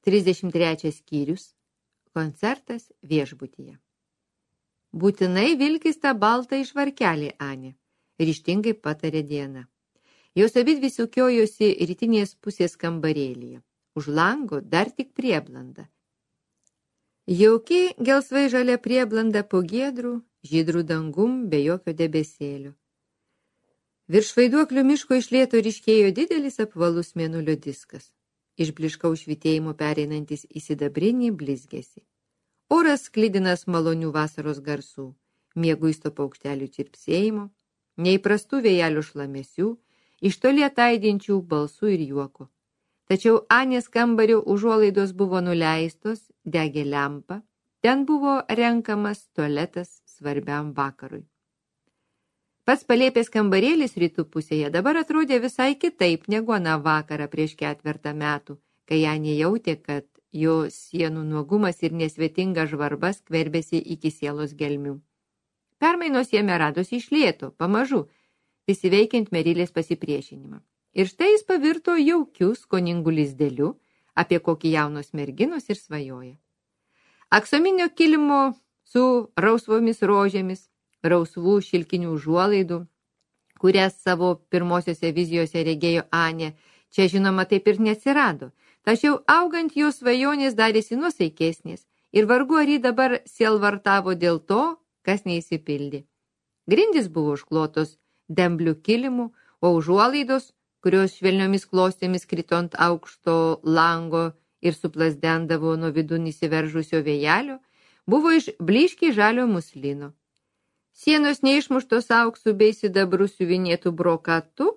33 skyrius. Koncertas viešbutyje. Būtinai vilkis tą baltą išvarkelį, Anė, ryžtingai patarė Diana. Jos abidvi sukiojosi rytinės pusės kambarėlyje. Už lango dar tik prieblanda. Jauki gelsvai žalia prieblanda po giedrų, žydrų dangum be jokio debesėlio. Virš vaiduoklio miško iš lėto ryškėjo didelis apvalus mėnulio diskas, iš blyškaus švytėjimo pereinantis į sidabrinį blizgesį. Oras sklidinas malonių vasaros garsų, mieguisto paukštelių čirpsėjimo, neįprastų vėjelių šlamesių, iš toli ataidinčių balsų ir juoko. Tačiau Anės kambario užuolaidos buvo nuleistos, degė lempa, ten buvo renkamas tualetas svarbiam vakarui. Pats palėpės kambarėlis rytų pusėje dabar atrodė visai kitaip negu aną vakarą prieš 4 metų, kai Anė jautė, kad jo sienų nuogumas ir nesvetinga žvarba skverbėsi iki sielos gelmių. Permainos jame radosi iš lėto, pamažu, visi veikiant Merilės pasipriešinimą. Ir štai jis pavirto jaukiu, skoningu lizdeliu, apie kokį jaunos merginos ir svajoja. Aksominio kilimo su rausvomis rožėmis, rausvų šilkinių užuolaidų, kurias savo pirmosiose vizijose regėjo Anė, čia žinoma taip ir neatsirado, tačiau augant jos svajonės darėsi nuosaikesnės ir vargu ar ji dabar sielvartavo dėl to, kas neįsipildė. Grindys buvo užklotos demblių kilimų, o užuolaidos, kurios švelniomis klostėmis krito ant aukšto lango ir suplasdendavo nuo vidun įsiveržusio vėjelio, buvo iš blyškiai žalio muslino. Sienos neišmuštos auksų bei sidabrų siuvinėtų brokatu,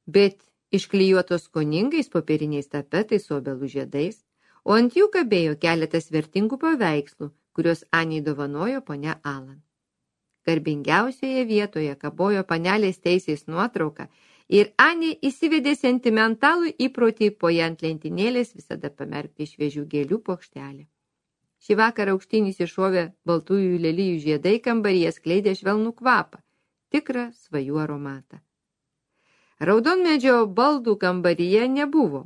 bet išklijuotos skoningais popieriniais tapetais su obelų žiedais, o ant jų kabėjo keletas vertingų paveikslų, kuriuos Anei dovanojo ponia Alan. Garbingiausioje vietoje kabojo panelės Teisės nuotrauka ir Anė įsivedė sentimentalų įprotį po ją ant lentynėlės visada pamerkti šviežių gėlių puokštelę. Šį vakarą aukštyn įsišovė baltųjų lelijų žiedai kambaryje skleidė švelnų kvapą, tikrą svajų aromatą. Raudonmedžio baldų kambaryje nebuvo,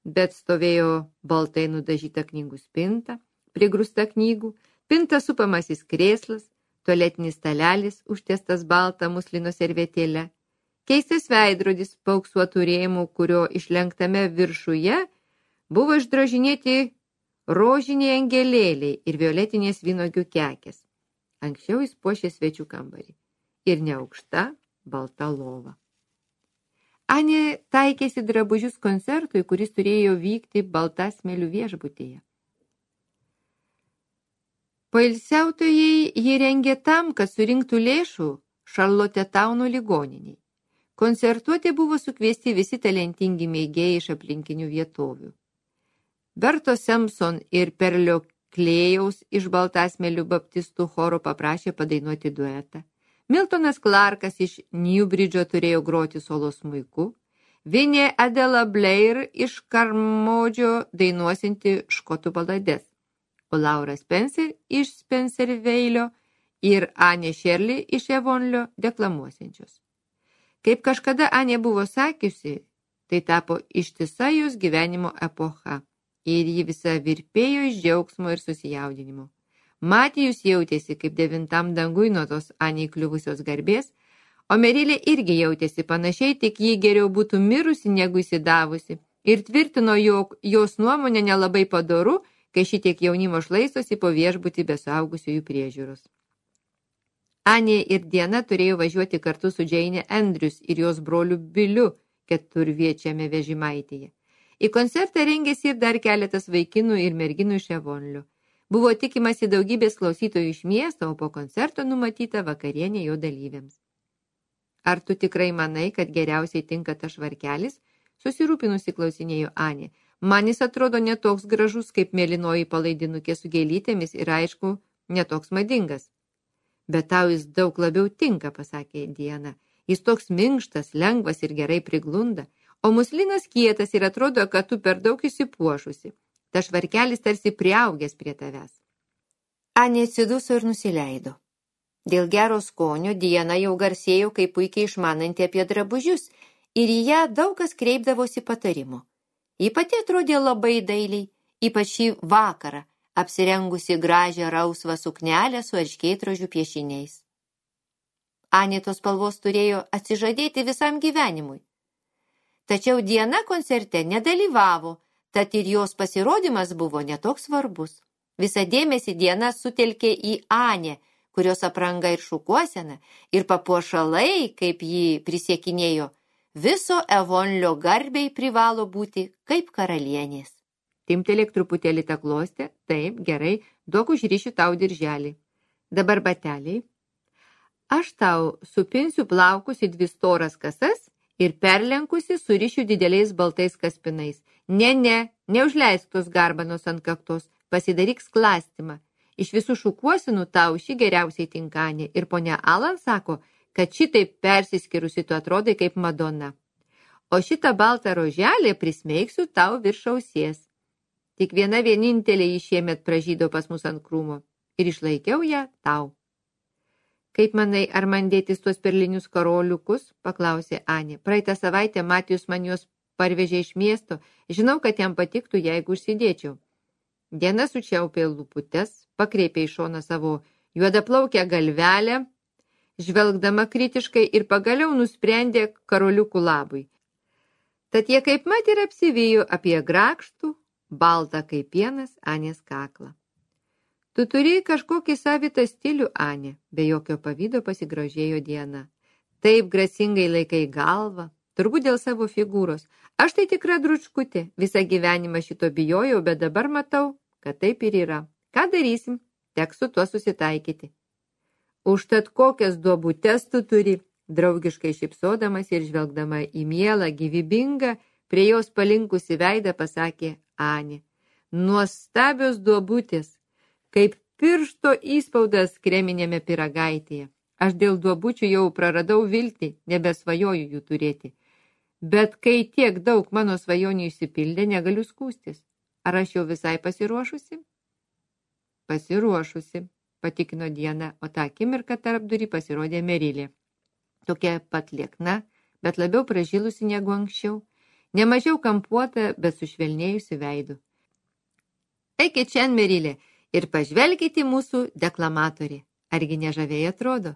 bet stovėjo baltai nudažyta knygų spinta, prigrūsta knygų, pinta supamasis krėslas, tualetinis stalelis užtiestas baltą muslino servetėle, keistas veidrodis paauksuotų rėmų, kurio išlenktame viršuje buvo išdrožinėti rožiniai angelėliai ir violetinės vynuogių kekės. Anksčiau jis puošė svečių kambarį ir neaukšta balta lova. Anė taikėsi drabužius koncertui, kuris turėjo vykti Baltasmelių viešbutyje. Poilsiautojai jį rengė tam, kad surinktų lėšų Šarlotetauno ligoniniai. Koncertuoti buvo sukviesti visi talentingi mėgėjai iš aplinkinių vietovių. Berto Simpson ir Perlio Klėjaus iš Baltasmelių baptistų choro paprašė padainuoti duetą. Miltonas Clarkas iš Newbridge'o turėjo groti solo smuiku. Vinė Adela Blair iš Karmodžio dainuosinti škotų balades. O Laura Spencer iš Spencerveilio ir Anė Shirley iš Evonlio deklamuosiančios. Kaip kažkada Anė buvo sakiusi, tai tapo ištisa jos gyvenimo epocha ir ji visa virpėjo iš džiaugsmo ir susijaudinimo. Matijus jautėsi kaip 9 dangui nuo tos Anei kliuvusios garbės, o Merilė irgi jautėsi panašiai, tik ji geriau būtų mirusi negu įsidavusi ir tvirtino, jog jos nuomonė nelabai padoru, kai šitiek jaunimo šlaistosi po viešbutį be suaugusiųjų priežiūros. Anė ir Diana turėjo važiuoti kartu su Jane Andrews ir jos broliu Biliu 4-viečiame vežimaityje. Į koncertą rengėsi ir dar keletas vaikinų ir merginų iš Evonlio. Buvo tikimasi daugybės klausytojų iš miesto, o po koncerto numatyta vakarienė jo dalyviams. Ar tu tikrai manai, kad geriausiai tinka tas švarkelis? Susirūpinusi klausinėjo Anė. Man jis atrodo netoks gražus kaip mėlynoji palaidinukė su gėlytėmis ir aišku, netoks madingas. Bet tau jis daug labiau tinka, pasakė Diana. Jis toks minkštas, lengvas ir gerai priglunda, o muslinas kietas ir atrodo, kad tu per daug įsipuošusi. Ta švarkelis tarsi priaugęs prie tavęs. Anė atsiduso ir nusileido. Dėl gero skonio Diana jau garsėjo kaip puikiai išmananti apie drabužius ir į ją daug kas kreipdavosi patarimo. Ji pati atrodė labai dailiai, ypač šį vakarą, apsirengusi gražią rausvą suknelę su erškėtrožių piešiniais. Anė tos spalvos turėjo atsižadėti visam gyvenimui. Tačiau Diana koncerte nedalyvavo, tad ir jos pasirodymas buvo netoks svarbus. Visą dėmesį Diana sutelkė į Anę, kurios apranga ir šukuosena, ir papuošalai, kaip ji prisiekinėjo, viso Evonlio garbei privalo būti kaip karalienės. Timtelėk truputėlį tą klostę, taip, gerai, duok užrišiu tau dirželį. Dabar bateliai. Aš tau supinsiu plaukus į 2 storas kasas ir perlenkusi surišiu dideliais baltais kaspinais. Ne, neužleisk tos garbanos ant kaktos, pasidaryk sklastymą. Iš visų šukuosinų tau ši geriausiai tinkanė ir ponia Alan sako, kad šitaip persiskirusi tu atrodai kaip Madona. O šitą baltą roželę prismeigsiu tau virš ausies. Tik viena vienintelė jį šiemet pražydo pas mus ant krūmo ir išlaikiau ją tau. Kaip manai, ar man dėtis tuos perlinius karoliukus? Paklausė Anė. Praeitą savaitę Matijus man juos parvežė iš miesto. Žinau, kad jam patiktų, jeigu užsidėčiau. Diana sučiaupė lūputes, pakreipė į šoną savo juodaplaukę galvelę, žvelgdama kritiškai ir pagaliau nusprendė karoliukų labui. Tad jie kaip mat ir apsivijo apie grakštų, baltą kaip pienas Anės kaklą. Tu turi kažkokį savitą stilių, Anė, be jokio pavydo pasigrožėjo Diana. Taip grasingai laikai galvą, turbūt dėl savo figūros. Aš tai tikra dručkutė, visą gyvenimą šito bijojau, bet dabar matau, kad taip ir yra. Ką darysim? Teks su tuo susitaikyti. Užtat kokias duobutes tu turi, draugiškai šypsodamas ir žvelgdama į mielą, gyvybingą, prie jos palinkusi veidą pasakė Anė. Nuostabios duobutės, kaip piršto įspaudas kreminėme pyragaitėje. Aš dėl duobučių jau praradau viltį, nebesvajoju jų turėti. Bet kai tiek daug mano svajonių išsipildė, negaliu skūstis. Ar aš jau visai pasiruošusi? Pasiruošusi, patikino Diana, o tą akimirką tarpdurį pasirodė Merilė. Tokia pat liekna, bet labiau pražilusi negu anksčiau. Nemažiau kampuota, bet sušvelnėjusi veidu. Eikit čia, Merilė, ir pažvelkite mūsų deklamatorį. Argi nežaviai atrodo?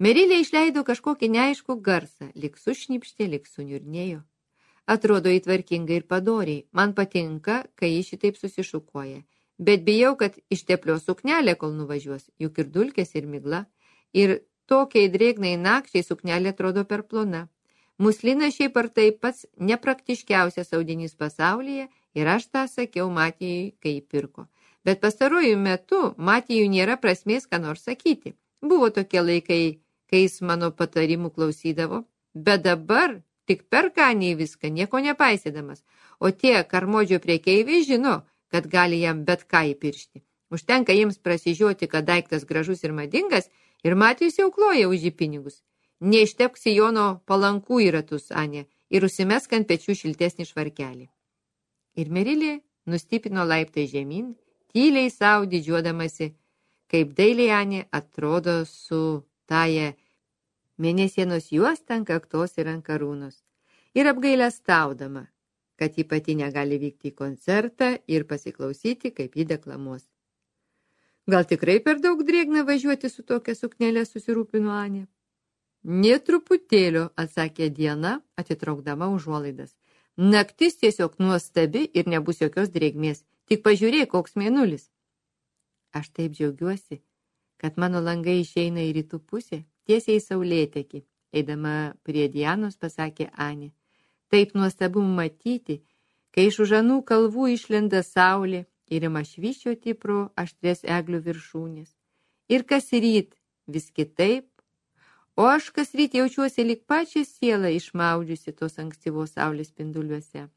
Merilė išleido kažkokį neaiškų garsą, lyg sušnipštė, lyg suniurnėjo. Atrodo įtvarkingai ir padoriai. Man patinka, kai ji šitaip susišukuoja. Bet bijau, kad išteplio suknelė, kol nuvažiuos, juk ir dulkės, ir migla. Ir tokiai drėgnai nakčiai suknelė atrodo per plona. Muslina šiaip ar tai pats nepraktiškiausias audinys pasaulyje ir aš tą sakiau Matijui, kai jį pirko. Bet pastaruoju metu Matijui nėra prasmės ką nors sakyti. Buvo tokie laikai, kai jis mano patarimų klausydavo, bet dabar tik perka Anei viską, nieko nepaisydamas, o tie karmodžio prekeiviai žino, kad gali jam bet ką įpiršti. Užtenka jiems prasižioti, kad daiktas gražus ir madingas, ir Matijus jau kloja už jį pinigus. Neištepk sijono palankų į ratus, Anė, ir užsimesk ant pečių šiltesnį švarkelį. Ir Merilė nustipino laiptai žemyn, tyliai sau didžiuodamasi, kaip dailiai Anė atrodo su taja mėnesienos juosta ant kaktos ir ant karūnos, ir apgailestaudama, kad ji pati negali vykti į koncertą ir pasiklausyti, kaip ji deklamuos. Gal tikrai per daug drėgna važiuoti su tokia suknelė, susirūpino Anė? Nė truputėlio, atsakė Diana, atitraukdama užuolaidas. Naktis tiesiog nuostabi ir nebus jokios drėgmės. Tik pažiūrėk, koks mėnulis. Aš taip džiaugiuosi, kad mano langai išeina į rytų pusę, tiesiai į saulėtekį. Eidama prie Dianos pasakė Anė. Taip nuostabu matyti, kai iš už anų kalvų išlenda saulė ir ima švyščioti pro aštrias eglių viršūnės. Ir kas ryt vis kitaip, o aš kas ryt jaučiuosi lyg pačią sielą išmaudžiusi tos ankstyvos saulės spinduliuose.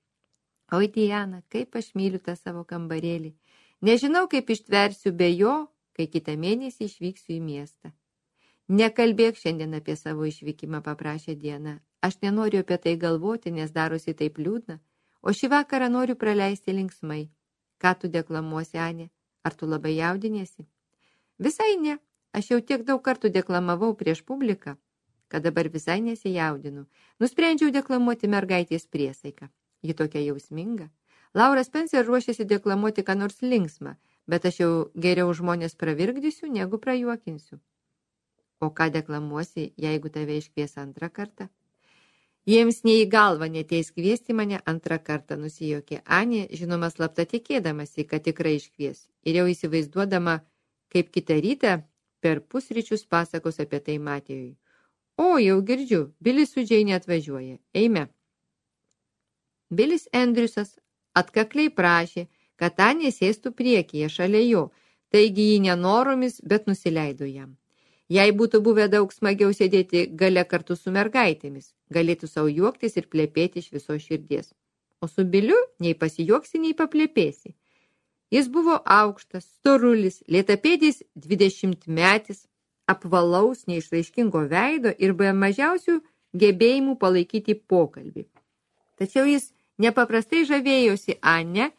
Oi, Diana, kaip aš myliu tą savo kambarėlį. Nežinau, kaip ištversiu be jo, kai kitą mėnesį išvyksiu į miestą. Nekalbėk šiandien apie savo išvykimą, paprašė Diana. Aš nenoriu apie tai galvoti, nes darosi taip liūdna, o šį vakarą noriu praleisti linksmai. Ką tu deklamuosi, Anė? Ar tu labai jaudiniesi? Visai ne. Aš jau tiek daug kartų deklamavau prieš publiką, kad dabar visai nesijaudinu. Nusprendžiau deklamuoti mergaitės priesaiką. Ji tokia jausminga. Laura Spencer ruošėsi deklamuoti ką nors linksmą, bet aš jau geriau žmonės pravirkdysiu, negu prajuokinsiu. O ką deklamuosi, jeigu tave iškvies antrą kartą? Jiems nei į galvą neteis kviesti mane antrą kartą, nusijuokė Anė, žinoma slapta tikėdamasi, kad tikrai iškvies, ir jau įsivaizduodama, kaip kitą rytą per pusryčius pasakos apie tai Matėjui. O, jau girdžiu, Bilis su Džeinė atvažiuoja, eime. Bilis Andriusas atkakliai prašė, kad Anė sėstų priekyje šalia jo, taigi jį nenoromis, bet nusileido jam. Jei būtų buvę daug smagiau sėdėti gale kartu su mergaitėmis, galėtų savo juoktis ir plepėti iš viso širdies. O su Biliu nei pasijuoksi, nei paplėpėsi. Jis buvo aukštas, storulis, lėtapėdis 20-metis, apvalaus, neišraiškingo veido ir be mažiausių gebėjimų palaikyti pokalbį. Tačiau jis nepaprastai žavėjosi Anne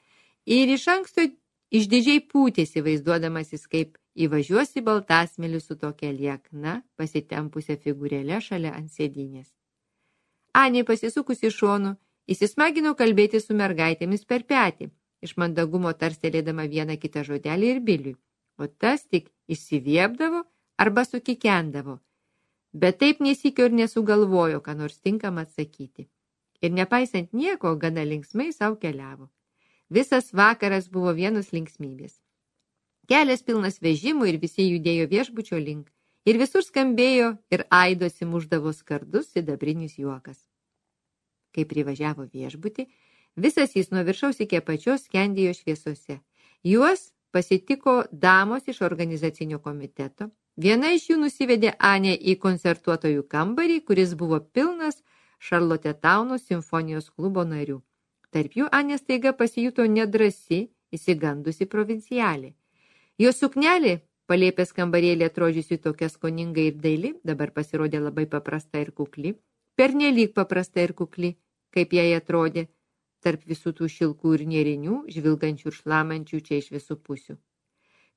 ir iš anksto išdidžiai pūtėsi, vaizduodamasis, kaip įvažiuosi baltasmėlį su tokia liekna, pasitempusia figūrėle šalia ant sėdynės. Anė pasisukusi šonu, įsismagino kalbėti su mergaitėmis per petį, iš mandagumo tarstelėdama vieną kitą žodelį ir Biliui, o tas tik išsiviepdavo arba sukikendavo, bet taip nesikio ir nesugalvojo, ką nors tinkamą atsakyti. Ir nepaisant nieko, gana linksmai savo keliavo. Visas vakaras buvo vienos linksmybės. Kelias pilnas vežimų ir visi judėjo viešbučio link. Ir visur skambėjo ir aido atsimuždavo skardus sidabrinis juokas. Kai privažiavo viešbutį, visas jis nuo viršaus iki apačios skendėjo šviesose. Juos pasitiko damos iš organizacinio komiteto. Viena iš jų nusivedė Anę į koncertuotojų kambarį, kuris buvo pilnas Šarlotetauno simfonijos klubo narių. Tarp jų Anė staiga pasijuto nedrasi, įsigandusi provincialė. Jos suknelė, palėpės kambarėlė atrodžiusi tokia skoninga ir daili, dabar pasirodė labai paprasta ir kukli, pernelyg paprasta ir kukli, kaip jai atrodė, tarp visų tų šilkų ir nėrinių, žvilgančių ir šlamančių čia iš visų pusių.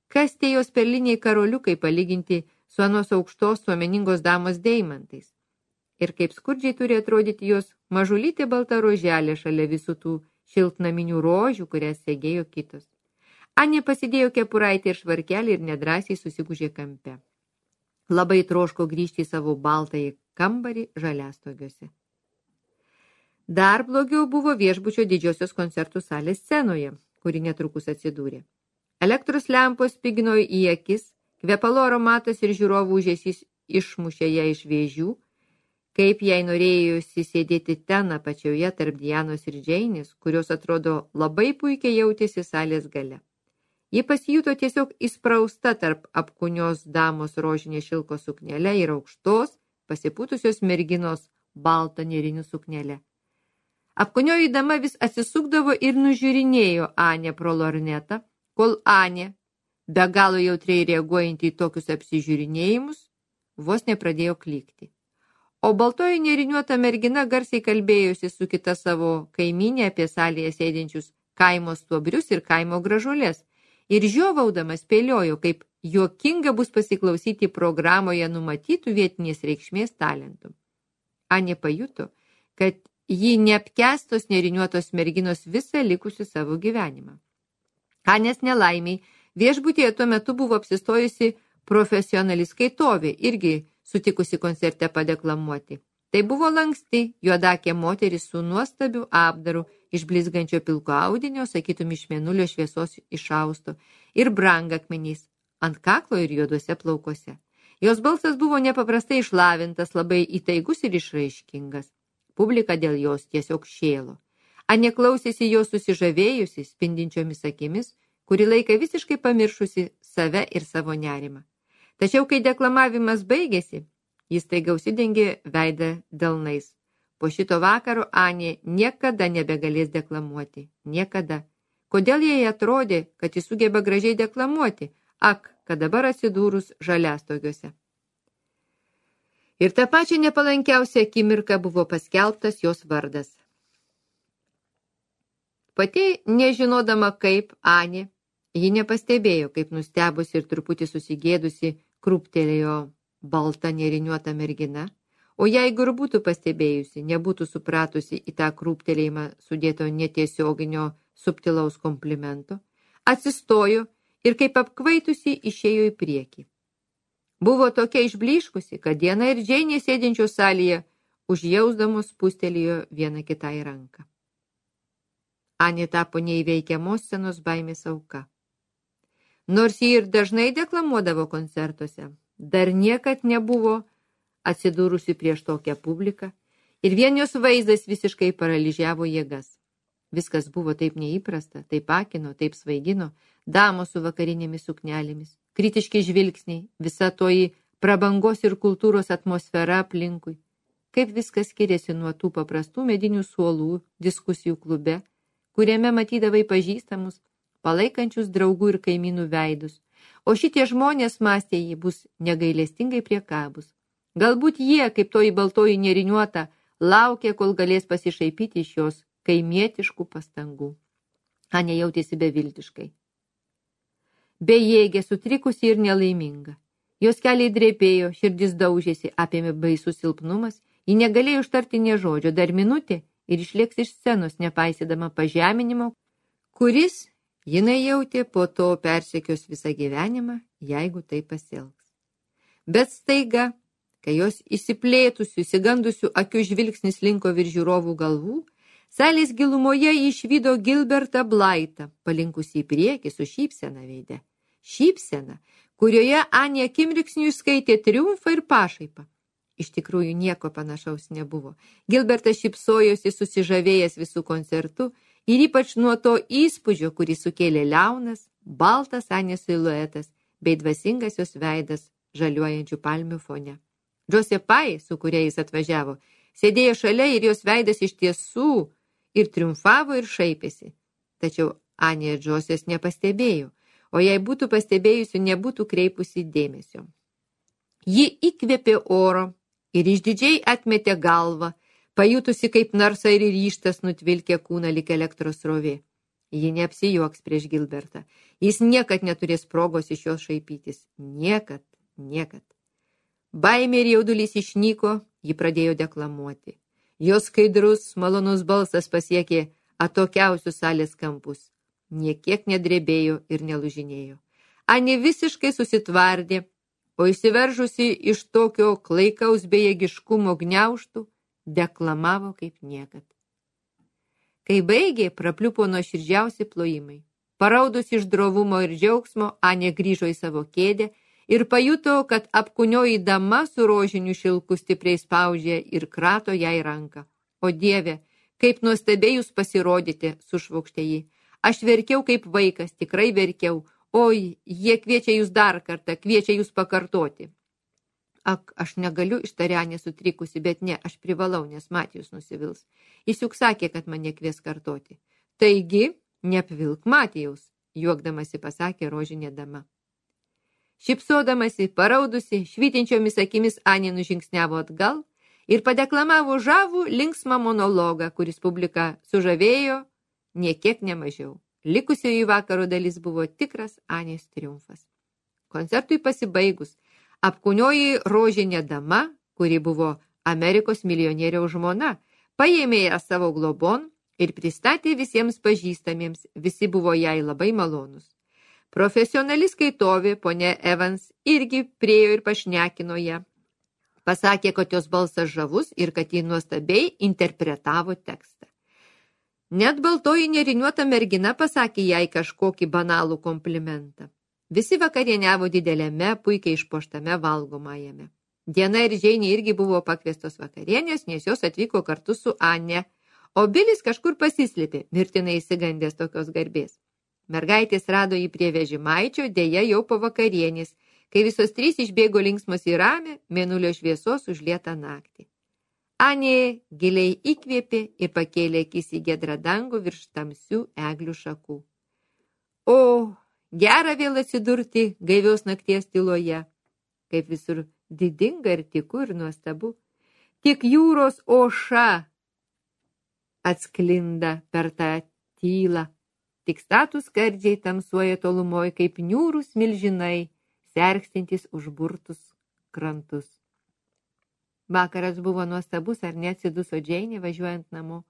Kas tie jos perliniai karoliukai palyginti su anos aukštos suomeningos damos deimantais? Ir kaip skurdžiai turi atrodyti jos mažulytė balta roželė šalia visų tų šiltnaminių rožių, kurias segėjo kitos. Anė pasidėjo kepuraitę ir švarkelį ir nedrąsiai susigūžė kampe. Labai troško grįžti į savo baltąjį kambarį žaliastogiuose. Dar blogiau buvo viešbučio didžiosios koncertų salės scenoje, kuri netrukus atsidūrė. Elektros lempos spigino į akis, kvepalo aromatas ir žiūrovų ūžesys išmušė ją iš vėžių, kaip jai norėjosi sėdėti ten apačioje tarp Dianos ir Džeinės, kurios atrodo labai puikiai jautėsi salės gale. Ji pasijuto tiesiog įsprausta tarp apkūnios damos rožinės šilko suknelę ir aukštos, pasipūtusios merginos baltą nėrinių suknelę. Apkūnioji dama vis atsisukdavo ir nužiūrinėjo Anę pro lornetą, kol Anė, be galo jautriai reaguojantį į tokius apsižiūrinėjimus, vos nepradėjo klykti. O baltoji nėriniuota mergina garsiai kalbėjosi su kita savo kaimynė apie salėje sėdinčius kaimo stuobrius ir kaimo gražulės, ir žiovaudamas spėliojo, kaip juokinga bus pasiklausyti programoje numatytų vietinės reikšmės talentų. Anė pajuto, kad ji neapkęstos nėriniuotos merginos visą likusių savo gyvenimą. Anės nelaimiai viešbutyje tuo metu buvo apsistojusi profesionali skaitovė, irgi sutikusi koncerte padeklamuoti. Tai buvo lanksti, juodakė moteris su nuostabiu apdaru iš blizgančio pilko audinio, sakytum iš mėnulio šviesos išausto, ir brangakmenys ant kaklo ir juoduose plaukuose. Jos balsas buvo nepaprastai išlavintas, labai įtaigus ir išraiškingas. Publika dėl jos tiesiog šėlo. Anė klausėsi jos susižavėjusi, spindinčiomis akimis, kurį laiką visiškai pamiršusi save ir savo nerimą. Tačiau, kai deklamavimas baigėsi, jis taiga užsidengė veidą delnais. Po šito vakaro Anė niekada nebegalės deklamuoti. Niekada. Kodėl jai atrodė, kad jis sugeba gražiai deklamuoti? Ak, kad dabar atsidūrus žaliastogiuose. Ir tą pačią nepalankiausią akimirką buvo paskelbtas jos vardas. Pati nežinodama kaip Anė, ji nepastebėjo, kaip nustebusi ir truputį susigėdusi krūptelėjo balta nėriniuota mergina, o jeigu ir būtų pastebėjusi, nebūtų supratusi į tą krūptelėjimą sudėto netiesioginio subtilaus komplimento, atsistojo ir kaip apkvaitusi išėjo į priekį. Buvo tokia išblyškusi, kad Diana ir Džeinė sėdinčios salėje užjausdamos spustelėjo vieną kitai ranką. Anė tapo neįveikiamos scenos baimės auka. Nors ji ir dažnai deklamuodavo koncertuose, dar niekad nebuvo atsidūrusi prieš tokią publiką ir vien jos vaizdas visiškai paralyžiavo jėgas. Viskas buvo taip neįprasta, taip akino, taip svaigino, damos su vakarinėmis suknelėmis, kritiški žvilgsniai, visa toji prabangos ir kultūros atmosfera aplinkui. Kaip viskas skiriasi nuo tų paprastų medinių suolų diskusijų klube, kuriame matydavai pažįstamus, palaikančius draugų ir kaimynų veidus, o šitie žmonės, mąstė jį, bus negailestingai priekabus. Galbūt jie, kaip toji baltoji neriniuota, laukia, kol galės pasišaipyti iš jos kaimietiškų pastangų. Anė jautėsi beviltiškai. Bejėgė, sutrikusi ir nelaiminga. Jos keliai drebėjo, širdis daužėsi, apėmė baisus silpnumas, ji negalėjo ištarti nė žodžio, dar minutė ir išlėks iš scenos, nepaisydama pažeminimo, kuris jinai jautė po to persekios visą gyvenimą, jeigu tai pasielgs. Bet staiga, kai jos įsiplėtusių, įsigandusių akių žvilgsnis linko virš žiūrovų galvų, salės gilumoje išvydo Gilbertą Blaitą, palinkusį į priekį su šypsena veide. Šypsena, kurioje Anė akimirksniu išskaitė triumfą ir pašaipą. Iš tikrųjų nieko panašaus nebuvo. Gilbertas šypsojosi susižavėjęs visų koncertų ir ypač nuo to įspūdžio, kurį sukėlė liaunas, baltas Anės siluetas bei dvasingas jos veidas žaliuojančių palmių fone. Džosė Pai, su kuria jis atvažiavo, sėdėjo šalia ir jos veidas iš tiesų ir triumfavo ir šaipėsi. Tačiau Anė Džosės nepastebėjo, o jei būtų pastebėjusi, nebūtų kreipusi dėmesio. Ji įkvėpė oro ir išdidžiai atmetė galvą, pajutusi kaip narsa ir ryžtas nutvilkė kūną lyg elektros srovė. Ji neapsijuoks prieš Gilbertą. Jis niekad neturės progos iš jos šaipytis. Niekad, niekad. Baimė ir jaudulys išnyko, ji pradėjo deklamuoti. Jos skaidrus, malonus balsas pasiekė atokiausius salės kampus. Niekiek nedrebėjo ir nelužinėjo. Anė visiškai susitvardė, o išsiveržusi iš tokio klaikaus bejėgiškumo gniaužtų, deklamavo kaip niekad. Kai baigė, prapliupo nuoširdžiausi plojimai. Paraudus iš drovumo ir džiaugsmo, Anė grįžo į savo kėdę ir pajuto, kad apkūnioji dama su rožiniu šilku stipriai spaudžia ir krato jai ranką. O Dieve, kaip nuostabiai jūs pasirodėte, sušvokštė ji. Aš verkiau kaip vaikas, tikrai verkiau. Oi, jie kviečia jūs dar kartą, kviečia jūs pakartoti. Ak, aš negaliu, ištarė Anė sutrikusi, bet ne, aš privalau, nes Matijus nusivils. Jis juk sakė, kad mane kvies kartoti. Taigi, neapvilk Matijaus, juokdamasi pasakė rožinė dama. Šypsodamasi, paraudusi, švytinčiomis akimis Anė nužingsniavo atgal ir padeklamavo žavų linksmą monologą, kuris publiką sužavėjo niekiek nemažiau. Likusioji vakaro dalis buvo tikras Anės triumfas. Koncertui pasibaigus, apkūnioji rožinė dama, kuri buvo Amerikos milijonieriaus žmona, paėmė ją savo globon ir pristatė visiems pažįstamiems, visi buvo jai labai malonus. Profesionali skaitovė, ponė Evans, irgi priėjo ir pašnekino ją. Pasakė, kad jos balsas žavus ir kad ji nuostabiai interpretavo tekstą. Net baltoji neriniuota mergina pasakė jai kažkokį banalų komplimentą. Visi vakarieniavo dideliame, puikiai išpuoštame valgomajame. Diana ir Džeinė irgi buvo pakviestos vakarienės, nes jos atvyko kartu su Anė, o Bilis kažkur pasislėpė, mirtinai įsigandęs tokios garbės. Mergaitės rado jį prie vežimaičio, dėja jau po vakarienės, kai visos trys išbėgo linksmos į ramią, mėnulio šviesos užlietą naktį. Anė giliai įkvėpė ir pakėlė akis į giedrą dangų virš tamsių eglių šakų. O, gera vėl atsidurti gaivios nakties tyloje, kaip visur didinga ir tiku ir nuostabu. Tik jūros oša atsklinda per tą tylą, tik statūs skardžiai tamsuoja tolumoj kaip niūrūs milžinai, sergstintis užburtus krantus. Vakaras buvo nuostabus, ar neatsiduso Džeinė važiuojant namo.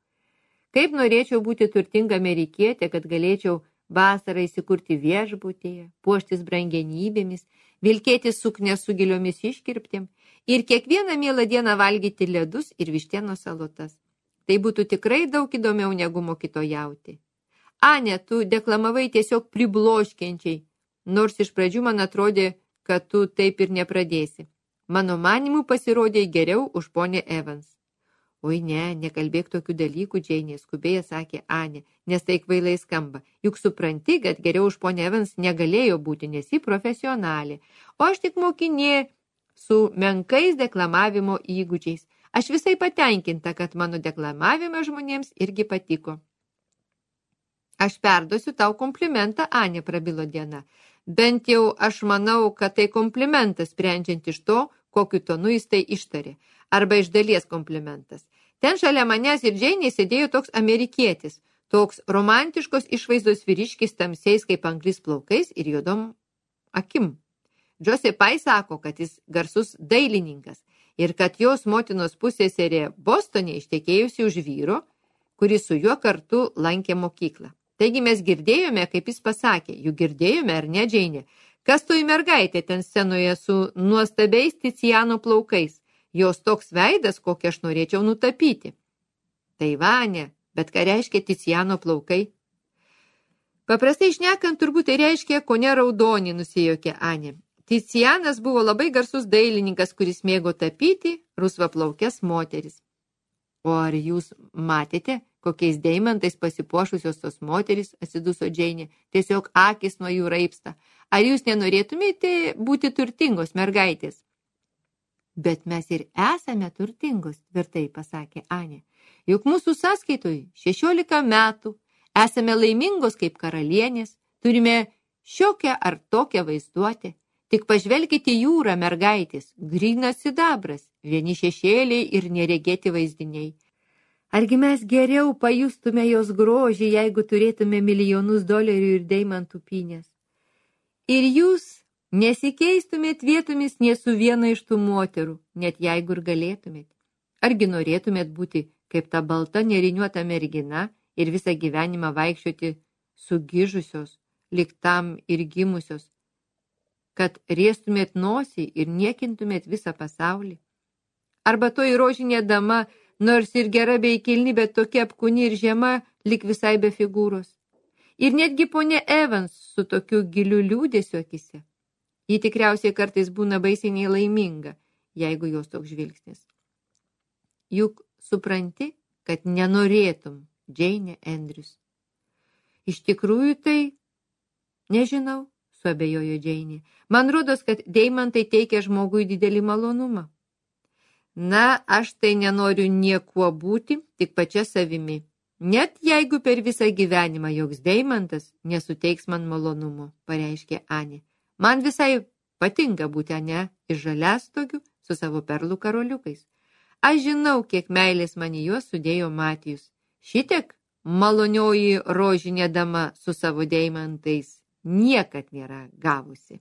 Kaip norėčiau būti turtinga amerikietė, kad galėčiau vasarą įsikurti viešbutyje, puoštis brangenybėmis, vilkėti suknę su giliomis iškirptėm ir kiekvieną mielą dieną valgyti ledus ir vištienos salotas. Tai būtų tikrai daug įdomiau negu mokytojauti. Ane, tu deklamavai tiesiog pribloškiančiai, nors iš pradžių man atrodė, kad tu taip ir nepradėsi. Mano manimu pasirodė geriau už ponę Evans. Oi ne, nekalbėk tokių dalykų, Džeinė, skubiai sakė Anė, nes tai kvailai skamba. Juk supranti, kad geriau už ponę Evans negalėjo būti, nes ji profesionalė. O aš tik mokinė su menkais deklamavimo įgūdžiais. Aš visai patenkinta, kad mano deklamavimas žmonėms irgi patiko. Aš perduosiu tau komplimentą, Anė, prabilo Diana. Bent jau aš manau, kad tai komplimentas, sprendžiant iš to, kokiu tonu jis tai ištarė. Arba iš dalies komplimentas. Ten šalia manęs ir Džeinė sėdėjo toks amerikietis, toks romantiškos išvaizdos vyriškis tamsiais kaip anglis plaukais ir juodom akim. Josepai sako, kad jis garsus dailininkas ir kad jos motinos pusseserė Bostone ištekėjusi už vyro, kuris su juo kartu lankė mokyklą. Taigi mes girdėjome, kaip jis pasakė, juk girdėjome ar ne, Džeinė, kas toji mergaitė ten scenoje su nuostabiais Ticiano plaukais. Jos toks veidas, kokį aš norėčiau nutapyti. Tai Vanė, bet ką reiškia Ticiano plaukai? Paprastai šnekant, turbūt tai reiškia kone raudonį, nusijuokė Anė. Ticianas buvo labai garsus dailininkas, kuris mėgo tapyti rusvaplaukes moteris. O ar jūs matėte, kokiais deimantais pasipuošusios tos moteris, atsiduso Džeinė, tiesiog akis nuo jų raipsta. Ar jūs nenorėtumėte būti turtingos mergaitės? Bet mes ir esame turtingos, tvirtai pasakė Anė. Juk mūsų sąskaitoj 16 metų, esame laimingos kaip karalienės, turime šiokią ar tokią vaizduotę. Tik pažvelkite jūrą, mergaitės, grynas sidabras, vieni šešėliai ir neregėti vaizdiniai. Argi mes geriau pajustume jos grožį, jeigu turėtume milijonus dolerių ir deimantų pynės? Ir jūs nesikeistumėt vietomis nė su viena iš tų moterų, net jeigu ir galėtumėt. Argi norėtumėt būti kaip ta balta neriniuota mergina ir visą gyvenimą vaikščioti sugižusios, lyg tam ir gimusios, kad riestumėt nosį ir niekintumėt visą pasaulį? Arba toji rožinė dama, nors ir gera bei kilni, bet tokia apkūni ir žema, lyg visai be figūros. Ir netgi ponė Evans su tokiu giliu liūdėsiu akise. Ji tikriausiai kartais būna baisiai nelaiminga, jeigu jos toks žvilgsnis. Juk supranti, kad nenorėtum, Džeinė Andrews. Iš tikrųjų tai, nežinau, suabejojo Džeinė. Man rodos, kad deimantai teikia žmogui didelį malonumą. Na, aš tai nenoriu niekuo būti, tik pačia savimi. Net jeigu per visą gyvenimą joks deimantas nesuteiks man malonumo, pareiškė Anė. Man visai patinka būti Ane iš žaliastogių su savo perlų karoliukais. Aš žinau, kiek meilės man į juos sudėjo Matijus. Šitiek malonioji rožinė dama su savo deimantais niekad nėra gavusi.